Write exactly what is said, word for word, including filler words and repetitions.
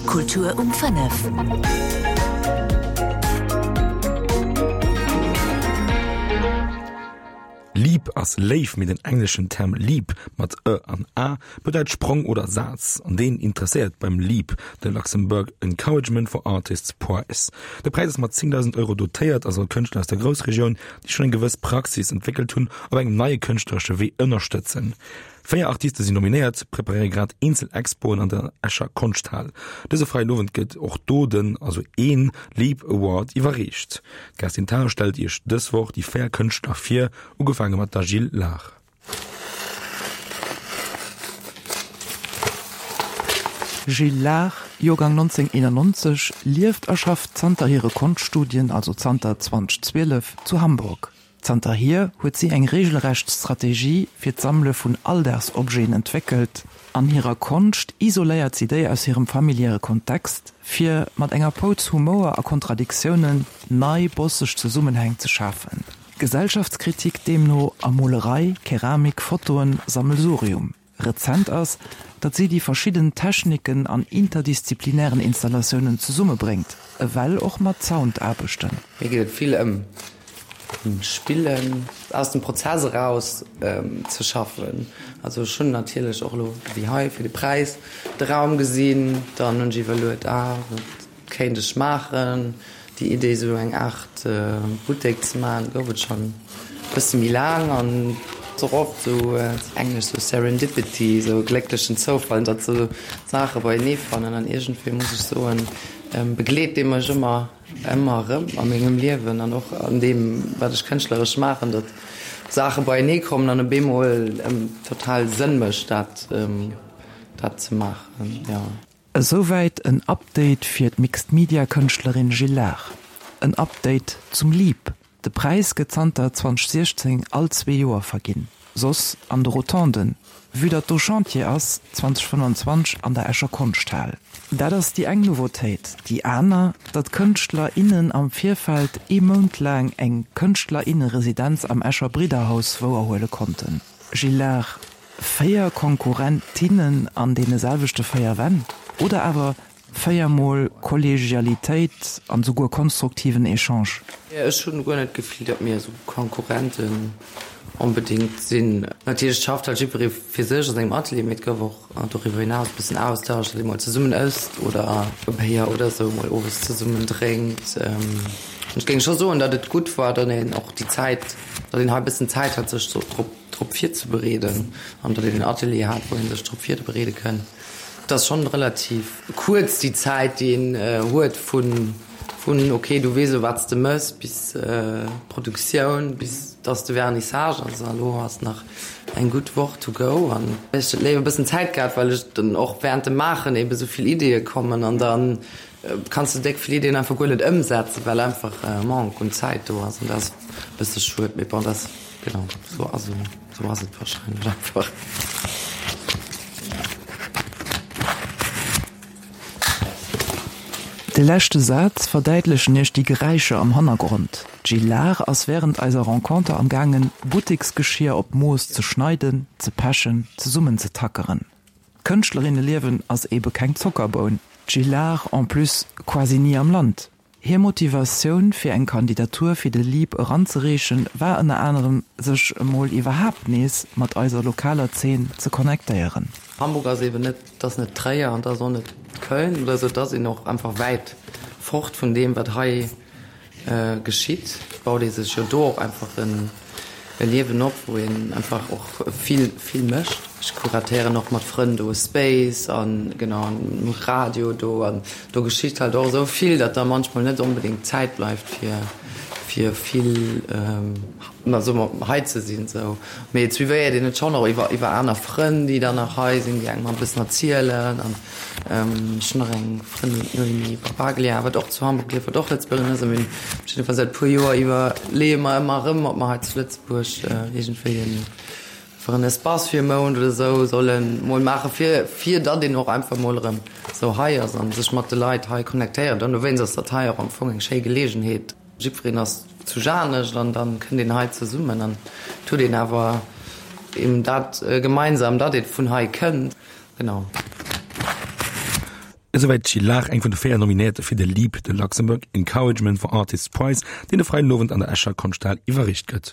Kultur um fënnef. Leap ass Léif, mee den engleschen Term leap mat e an a bedeit Sprong oder Saz, an deen interesséiert beim LEAP, de Luxembourg Encouragement for Artists Prize. De Präis ass mat zéngdausend Euro dotéiert a soll Kënschtler aus der Groussregioun, déi schonn eng gewëss Praxis entwéckelt hunn, op engem neie kënschtleresche Wee ënnerstëtzen. Véier Artiste sinn nominéiert, preparéiere grad eenzel Expoen an der Escher Konschthal. Dëse Freiden Owend gëtt och do den, also een, Leap Award iwwerreecht. D'Kerstin Thalau stellt Iech dës Woch déi véier Kënschtler vir, ugefaange mat der Jill Lahr. Jill Lahr, Joergang nonzéng eenannonzeg, lieft a schafft zanter hire Konschtstudien, also zanter zweedausendzwielef, zu Hamburg. Zanterhier huet si eng reegelrecht Strategie fir d'Sammele vun Alldagsobjeten entwéckelt. An hirer Konscht isoléiert si déi aus hirem familiäre Kontext, fir mat enger Pouz Humouer a Kontradiktiounen nei bosseg Zesummenhäng ze schafen. Gesellschaftskritik deemno a Molerei, Keramik, Fotoen, Sammelsurium. Rezent ass, datt si déi verschidden Techniken an interdisziplinären Installatiounen zesummebréngt, ewell och mat Soundaarbechten. Mir geet et vill ëm Spillen, aus dem Prozess eraus ze schaffen. Also ech hunn natierlech och elo wéi hei fir de Präis de Raum gesinn, dann hunn ech iwwerluet, ah wat kéint ech maachen. Déi Idee esou eng Aart Buttek ze maachen gouf et schonn e bësse méi laang an et ass och oft esou, englesch esou Serendipity, esou e glécklechen Zoufall, datt esou Saache beienee fannen an iergendwéi muss ech soen, begleet dee mech ëmmer, ëmmer erëm a mengem Liewen an och an deem wat ech kënschtleresch maachen, datt Saache beienee kommen an op eemol total Sënn mécht dat dat ze maachen, jo. Esouwäit en Update fir d'Mixed-Media-Kënschtlerin Jill Lahr. En Update zum Leap. De Präis gëtt zanter zweedausensiechzéng all zwee Joer verginn, soss an de Rotonden. Vue datt do Chantier ass, zweedausendfënnwanzwanzeg an der Escher Konschthal. Dat ass déi eng Nouveautéit. Déi aner, datt Kënschtler, innen am Virfeld ee Mount laang eng Kënschtler, inne-Residenz am Escher Bridderhaus wouerhuele konnten. Jill Lahr. Véier Konkurrentinnen an deene selwechte véier Wänn? Oder awer véier mol Kollegialitéit an souguer konstruktiven Echange? Ech hunn guer net d'Gefill, datt mir esou Konkurrenten onbedéngt sinn. Natierlech schafft halt jiddweree fir sech a sengem Atelier, mee et gouf och doriwwer hinaus e bëssen Austausch, datt ee mol zesummen ësst oder e Béier oder esou mol owes zesummen drénkt. Ech géing scho soen, datt et gutt war, datt een och déi Zäit, datt een hei e bëssen Zäit hat, sech drop drop virzebereeden an datt een en Atelier hat, wou ee sech drop virbereede kënn. Et ass schonn relativ kuerz déi Zäit, déi een huet vun, vun ok, du weess elo wat s de mëss, bis d'Produktioun, bis dass de Vernissage ass. A lo ass nach eng gutt Woch to go an ech hätt léiwer e bëssen Zäit gehat, well ech dann och während dem Maachen eebe sou vill Ideeë kommen an da kanns de déck vill Ideeën einfach guer net ëmsetzen, well einfach e Manque un Zäit do ass an dat ass e bësse schued. Mee bon, dat ass. Genau, sou ass sou ass et wahrscheinlech einfach. De leschte Saz verdäitlechen iech déi Geräischer am Hannergrond. D'Jill Lahr ass wärend eiser Renconter am gaangen, Butteksgeschier op Mooss ze schneiden, ze pechen, zesummenzetackeren. D'Kënschtlerinneliewen ass ebe keng Zockerboun. D'Jill Lahr en plus quasi ni am Land. Hir Motivatioun fir eng Kandidatur fir de Leap eranzereechen war ënner anerem sech emol iwwerhaapt nees mat eiser lokaler Zeen ze connectéieren. Hamburg ass eben net, et ass net Tréier an et ass och net Köln oder esou, et ass een och einfach wäit fort vun deem wat hei geschitt. Baut ee sech jo do och einfach en e Liewen op, wou een einfach och vill, vill mécht. Ech kuratéieren och mat Frënn do e Space an, genau, an um Radio do an do geschitt halt och esou vill, datt da manchmol net onbedéngt Zäit bleift fir, fir vill, na soe mer, hei ze sinn esou. Mee et suivéiert een et schonn och iwwer, iwwer aner Frënn, déi dann nach hei sinn, déi engem e bëssen erzielen an. Ech hunn nach eng Frëndin, d'Noémie Barbaglia, wat och zu Hamburg lieft, wat och Lëtzebuergerin ass. A mir hunn op jidde Fall säit e puer Joer iwwerleeë mer ëmmer erëm, ob mer hei zu Lëtzebuerg iergendwéi en, einfach en Espace fir e Mount oder esou solle mol maachen, fir, fir datt een och einfach mol erëm esou hei ass a sech mat de Leit hei connectéiert. An dowéinst ass dat hei och am Fong eng schéi Geleegenheet. Jiddwereen ass zu Janescht an dann kënnt een hei zesummen an et huet een awer eben dat gemeinsam, datt ee vun hei kënnt. Genau. Esouwäit d'Jill Lach, eng vun de véier Nominéierte fir de LEAP, de Luxembourg Encouragement for Artists Prize, deen e Freiden Owend an der Escher Konschthal iwwerreecht gëtt.